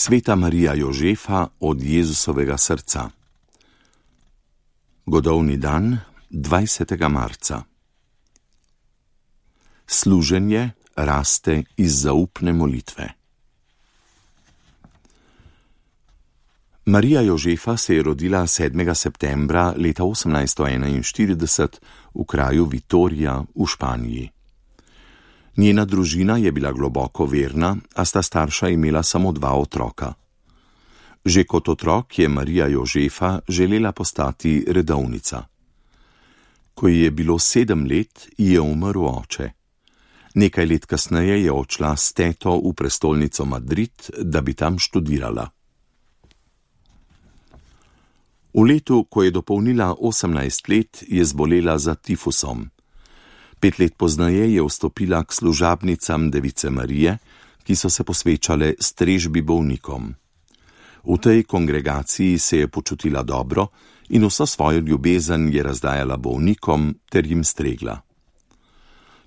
Sveta Marija Jožefa od Jezusovega srca. Godovni dan, 20. marca. Služenje raste iz zaupne molitve. Marija Jožefa se je rodila 7. septembra leta 1841 v kraju Vitorija v Španiji. Njena družina je bila globoko verna, a sta starša imela samo 2 otroka. Že kot otrok je Marija Jožefa želela postati redovnica. Ko ji je bilo 7 let, ji je umrl oče. Nekaj let kasneje je odšla s teto v prestolnico Madrid, da bi tam študirala. V letu, ko je dopolnila 18 let, je zbolela za tifusom. 5 let pozneje je vstopila k služabnicam Device Marije, ki so se posvečale strežbi bolnikom. V tej kongregaciji se je počutila dobro in vso svojo ljubezen je razdajala bolnikom ter jim stregla.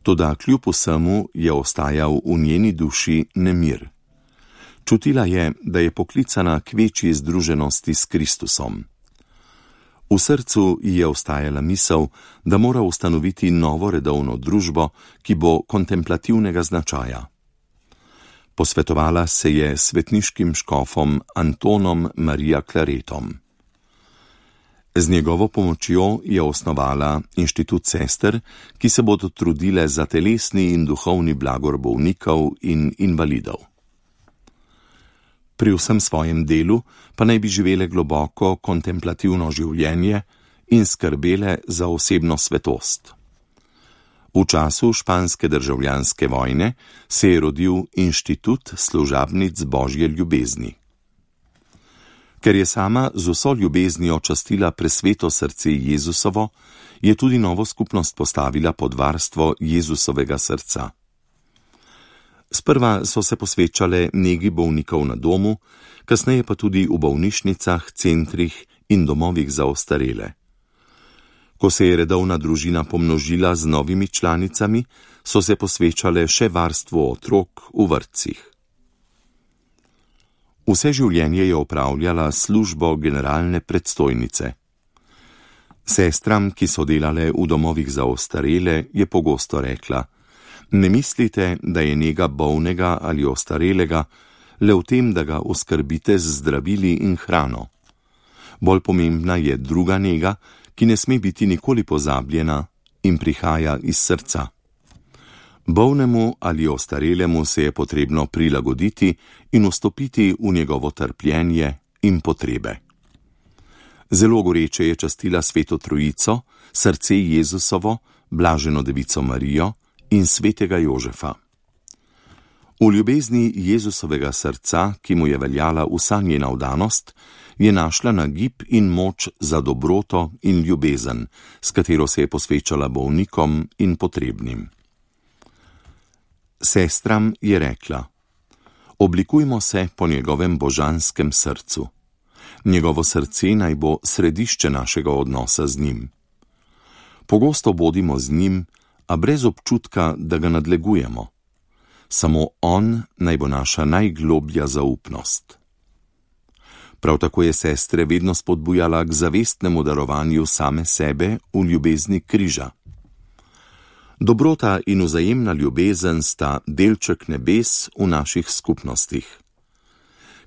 Toda kljub vsemu je ostajal v njeni duši nemir. Čutila je, da je poklicana k večji združenosti s Kristusom. V srcu ji je ostajala misel, da mora ustanoviti novo redovno družbo, ki bo kontemplativnega značaja. Posvetovala se je s svetniškim škofom Antonom Maria Claretom. Z njegovo pomočjo je osnovala inštitut sester, ki se bodo trudile za telesni in duhovni blagor bolnikov in invalidov. Pri vsem svojem delu pa naj bi živele globoko kontemplativno življenje in skrbele za osebno svetost. V času španske državljanske vojne se je rodil inštitut služabnic Božje ljubezni. Ker je sama z vso ljubeznijo častila presveto srce Jezusovo, je tudi novo skupnost postavila pod varstvo Jezusovega srca. Sprva so se posvečale negi bolnikov na domu, kasneje pa tudi v bolnišnicah, centrih in domovih za ostarele. Ko se je redovna družina pomnožila z novimi članicami, so se posvečale še varstvu otrok v vrtcih. Vse življenje je opravljala službo generalne predstojnice. Sestram, ki so delale v domovih za ostarele, je pogosto rekla: ne mislite, da je nega bolnega ali ostarelega le v tem, da ga oskrbite z zdravili in hrano. Bolj pomembna je druga nega, ki ne sme biti nikoli pozabljena in prihaja iz srca. Bolnemu ali ostarelemu se je potrebno prilagoditi in vstopiti v njegovo trpljenje in potrebe. Zelo goreče je častila Sveto Trojico, srce Jezusovo, blaženo Devico Marijo in svetega Jožefa. V ljubezni Jezusovega srca, ki mu je veljala vsa njena vdanost, je našla nagib in moč za dobroto in ljubezen, s katero se je posvečala bolnikom in potrebnim. Sestram je rekla: oblikujmo se po njegovem božanskem srcu. Njegovo srce naj bo središče našega odnosa z njim. Pogosto bodimo z njim, a brez občutka, da ga nadlegujemo. Samo on naj bo naša najgloblja zaupnost. Prav tako je sestre vedno spodbujala k zavestnemu darovanju same sebe v ljubezni križa. Dobrota in vzajemna ljubezen sta delček nebes v naših skupnostih.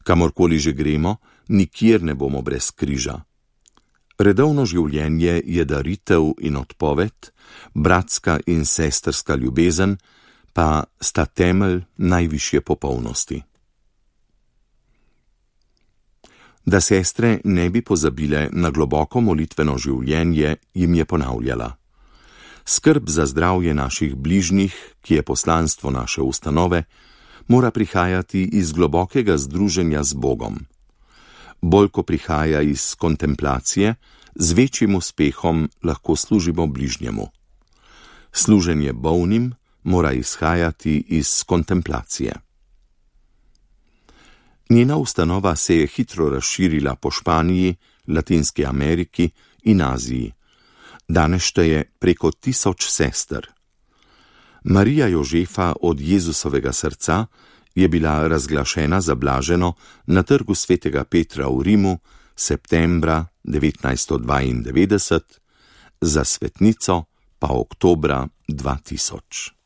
Kamorkoli že gremo, nikjer ne bomo brez križa. Redovno življenje je daritev in odpoved, bratska in sestrska ljubezen pa sta temelj najvišje popolnosti. Da sestre ne bi pozabile na globoko molitveno življenje, jim je ponavljala: skrb za zdravje naših bližnjih, ki je poslanstvo naše ustanove, mora prihajati iz globokega združenja z Bogom. Bolj ko prihaja iz kontemplacije, z večjim uspehom lahko služimo bližnjemu. Služenje bolnim mora izhajati iz kontemplacije. Njena ustanova se je hitro razširila po Španiji, Latinski Ameriki in Aziji. Danes šteje preko 1000 sester. Marija Jožefa od Jezusovega srca je bila razglašena za blaženo na trgu svetega Petra v Rimu septembra 1992, za svetnico pa oktobra 2000.